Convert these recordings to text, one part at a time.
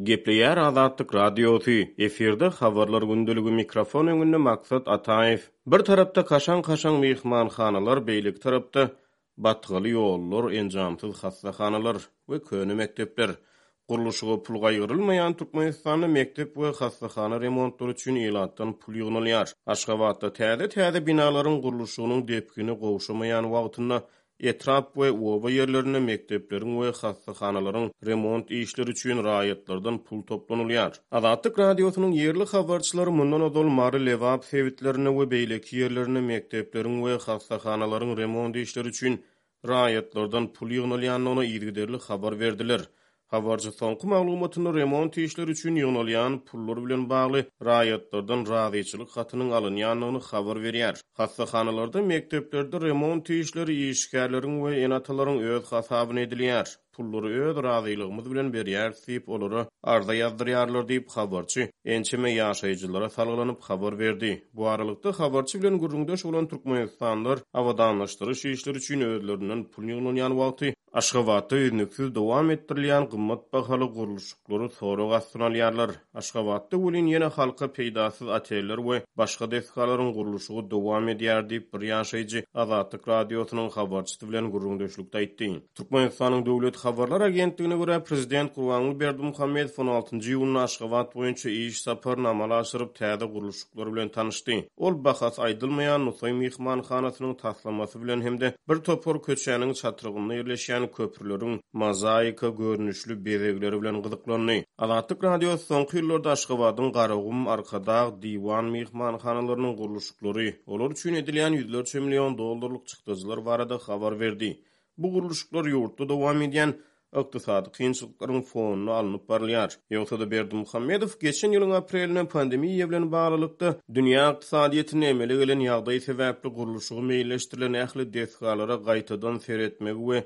Gepleýär Azatlyk Radiosy, efirde Habarlar gündeligi mikrofon öňünde Maksat Ataýew. Bir tarapda kaşaň-kaşaň myhmanhanalar, beýleki tarapda batgaly ýollar, enjamsyz hassahanalar we köne mekdepler. Gurluşyga pul gaýgyrylmaýan Türkmenistanda mekdep we hassahana remontlary üçin ilatdan pul ýygnalýar. Aşgabatda täze-täze binalaryň gurluşygynyň depgini gowşamaýan wagtynda Etrap we oba ýerlerinde mekdepleriň we hassahanalaryň remont işleri üçin raýatlardan pul toplanylýar. Azatlyk Radiosynyň ýerli habarçylary mundan ozal Mary, Lebap sebitlerinde we beýleki ýerlerinde mekdepleriň we hassahanalaryň remont işleri üçin raýatlardan pul ýygnalýandygyny yzygiderli habar berdiler. Habarçy soňky maglumatynda remont işleri üçin ýygnalýan pullar bilen bagly raýatlardan razyçylyk hatynyň alynýandygyny habar berýär. Hassahanalarda, mekdeplerde remont işleri işgärleriň we ene-atalaryň öz hasabyna edilýär. Pullary öz razylygymyz bilen berýäris diýip, olara arza ýazdyrýarlar diýip, habarçy ençeme ýaşaýjylara salgylanyp habar berdi. Bu aralykda, habarçy bilen gürrüňdeş bolan türkmenistanlylar abadanlaşdyryş işleri üçin özlerinden pul ýygnalýan wagty, Aşgabatda üznüksiz dowam etdirilýän gymmat bahaly gurluşyklary sorag astyna alýarlar. Aşgabatda welin ýene halka peýdasyz oteller we başga desgalaryň gurluşygy dowam edýär diýip, bir ýaşaýjy Azatlyk Radiosynyň habarçysy bilen gürrüňdeşlikde aýtdy. Türkmenistanyň Döwlet habarlar agentligine görä, prezident Gurbanguly Berdimuhamedow on altynjy iýunda Aşgabat boýunça iş saparyny amala aşyryp, täze gurluşyklar bilen tanyşdy. Ol bahasy aýdylmaýan Nusaý myhmanhanasynyň taslamasy bilen hem-de bir topar köçäniň çatrygynda ýerleşýän köprüleriň mozaika görnüşli bezegleri bilen gyzyklandy. Azatlyk Radiosy soňky ýyllarda Aşgabadyň Garagum, Arkadag, Diwan myhmanhanalarynyň gurluşyklary, olar üçin edilýän ýüzlerçe million dollarlyk çykdajylar barada habar berdi. Bu gurluşyklar ýurtda dowam edýän ykdysady kynçylyklaryň fonunda alnyp barylýar. Ýogsa-da Berdimuhamedow geçen ýylyň aprelinde pandemiýa bilen baglylykda dünýä ykdysadyýetinde emele gelen ýagdaý sebäpli gurluşygy meýilleşdirilen ähli desgalara gaýtadan seretmegi we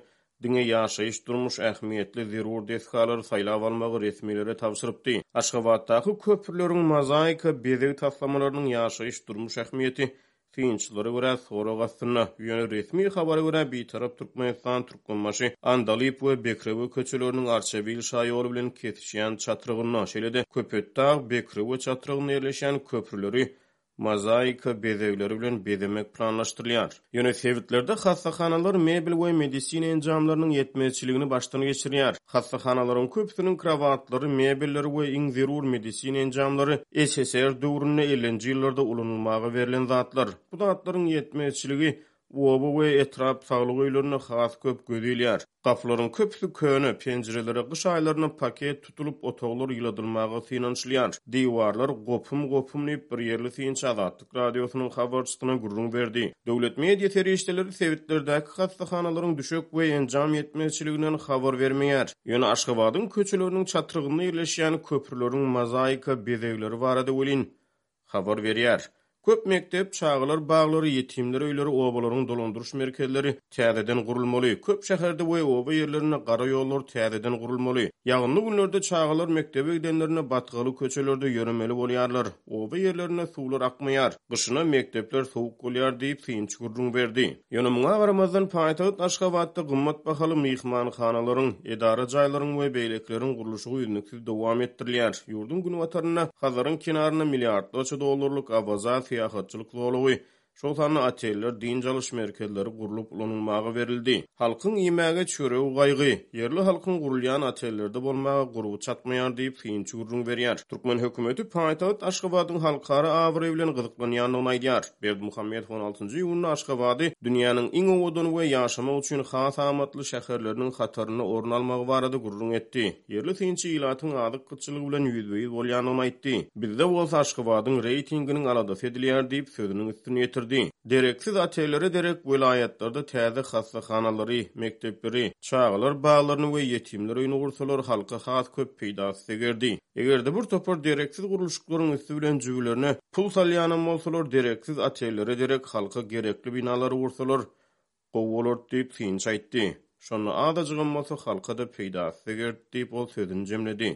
diňe ýaşaýyş-durmuş ähmiýetli zerur desgalary saýlap almagy resmilere tabşyrypdy. Aşgabatdaky köprüleriň mozaika bezeg taslamalarynyň ýaşaýyş-durmuş ähmiýeti Synçylara görä, sorag astynda. Ýöne resmi habara görä, Bitarap Türkmenistan, Türkmenbaşy, Andalyp we Bekrewe köçeleriniň Arçabil şaýoly bilen kesişýän çatrygynda, şeýle-de Köpetdag, Bekrewe çatrygynda ýerleşýän köprüleri mozaika bezegleri bilen bezemek planlaşdyrylýar. Ýöne sebitlerde hassahanalar mebel we medisina enjamlarynyň ýetmezçiligini başdan geçirýär. Hassahanalaryň köpüsiniň krowatlary, mebelleri we iň zerur medisina enjamlary SSR döwründe ellinji ýyllarda ulanylmaga berlen zatlar. Bu zatlaryň ýetmezçiligi oba we etrap saglyk öýlerinde has köp göz ilýär. Gapylaryň köpüsi köne, penjirelere gyş aýlarynda paket tutulyp, otaglar ýyladylmaga synanyşylýar. Diwarlar gopum-gopum diýip, bir ýerli synçy Azatlyk Radiosynyň habarçysyna gürrüň berdi. Döwlet media serişdeleri sebitlerdäki hassahanalaryň düşek we enjam ýetmezçiliginden habar bermeýär. Ýöne Aşgabadyň köçeleriniň çatrygynda ýerleşýän köprüleriň mozaika bezegleri barada welin, habar berýär. Köp mekdep, çagalar baglary, ýetimler öýleri, obalaryň dolandyryş merkezleri täzeden gurulmaly. Köp şäherde we oba ýerlerinde gara ýollar täzeden gurulmaly. Ýagynly günlerde çagalar mekdebe gidenlerinde batgaly köçelerde ýöremeli bolýarlar. Oba ýerlerinde suwlar akmaýar. Gyşyna mekdepler sowuk bolýar diýip, synçy gürrüň berdi. Ýöne muňa garamazdan, paýtagt Aşgabatda gymmat bahaly myhmanhanalaryň, edara jaýlaryň we beýlekileriň gurluşygy üznüksiz dowam etdirilýär. Ýurduň günbatarynda, Hazaryň kenarynda milliardlarça dollarlyk Awaza syýahatçylyk zolagy, şol sanda oteller, dynç alyş merkezleri gurlup ulanylmaga berildi. Halkyň iýmäge çöregi gaýgy. Ýerli halkyň gurulýan otellerde bolmaga gurby çatmaýar diýip, synçy gürrüň berýär. Türkmen hökümeti paýtagt Aşgabadyň halkara abraýy bilen gyzyklanýandygyny aýdýar. Berdimuhamedow on altynjy iýunda Aşgabady dünýäniň iň owadan we ýaşamak üçin has amatly şäherleriniň hatarynda orun almagy barada gürrüň etdi. Ýerli synçy ilatyň azyk gytçylygy bilen ýüzbe-ýüz bolýandygyny aýtdy. Bizde bolsa Aşgabadyň reýtinginiň aladasy edilýär diýip, sözüniň üstüni ýetirdi. Dereksiz otellere derek welaýatlarda täze hassahanalary, mekdepleri, çagalar baglaryny we ýetimler öýüni gursalar halka has köp peýdasy degerdi. Eger-de bir topar dereksiz gurluşyklaryň üsti bilen jübülerine pul salýanam bolsalar dereksiz otellere derek halka gerekli binalary gursalar gowy bolardy diýip synçy aýtdy. Şonda azajygam bolsa halka-da peýdasy degerdi diýip ol sözüni jemledi.